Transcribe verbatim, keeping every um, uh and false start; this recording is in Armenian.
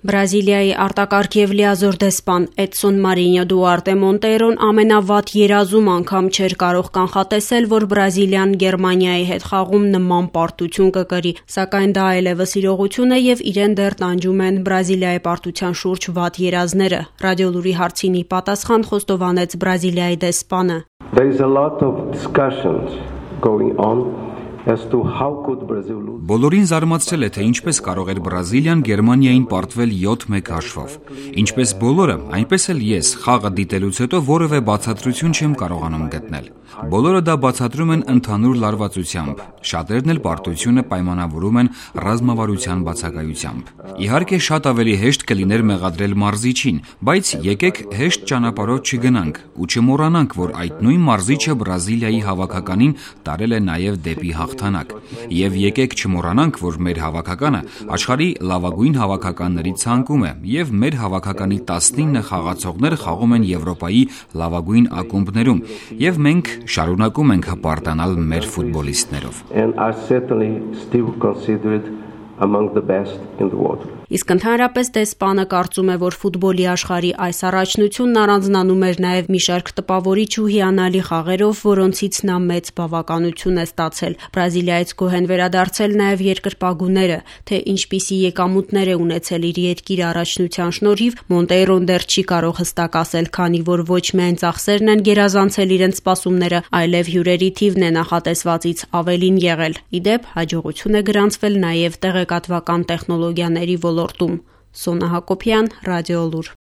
Բրազիլիայի արտակարգ և լիազոր դեսպան Էդսոն Մարինյո Դուարտե Մոնտեյրոն ամենավատ երազում անգամ չէր կարող կանխատեսել, որ Բրազիլիան Գերմանիայի հետ խաղում նման պարտություն կկրի, սակայն դա այլևս իրողություն է և իրեն դեռ տանջում են Բրազիլիայի պարտության շուրջ վատ երազները։ Ռադիոլուրի հարցին ի պատասխան խոստովանեց Բրազիլիայի դեսպանը. There is a lot of discussions going on. Բոլորին զարմացրել է, թե ինչպես կարող էր Բրազիլիան Գերմանիային պարտվել յոթ մեկ հաշվով։ Ինչպես բոլորը, այնպես էլ ես խաղը դիտելուց հետո որևէ բացատրություն չեմ կարողանում գտնել։ Բոլորը դա բացատրում են ընդհանուր լարվածությամբ, շատերն էլ պարտությունը պայմանավորում են ռազմավարության բացակայությամբ։ Իհարկե շատ ավելի հեշտ կլիներ մեղադրել մարզիչին, բայց եկեք հեշտ ճանապարհով չգնանք ու չմոռանանք, որ այդ նույն մարզիչը Բրազիլիայի հավաքականին տարել է նաև դեպի հաղթանակ։ Եվ եկեք չմոռանանք, որ մեր հավաքականը աշխարհի լավագույն հավաքականների ցանկում է, եւ մեր հավաքականի տասնինը խաղացողներ խաղում են Եվրոպայի լավագույն ակումբներում, եւ մենք շարունակում ենք հպարտանալ մեր ֆուտբոլիստներով։ Իսկ ընդհանրապես դեսպանը կարծում է, որ ֆուտբոլի աշխարհի այս առաջնությունն առանձնանում էր նաև մի շարք տպավորիչ ու հիանալի խաղերով, որոնցից նա մեծ բավականություն է ստացել։ Բրազիլիայից գոհ են վերադարձել նաև երկրպագուները, թե ինչպիսի եկամուտներ է ունեցել իր երկիրը առաջնության շնորհիվ, Մոնտեյրոն դեռ չի կարող հստակ ասել, քանի որ ոչ միայն ծախսերն են գերազանցել իրենց սպասումները, այլև հյուրերի թիվն է նախատեսվածից ավելին եղել։ Ի դեպ, հաջողություն է գրանցվել նաև տեղեկատվական տեխնոլոգիաների ոլորտում։ Սոնա Հակոբյան, Ռադիոլուր։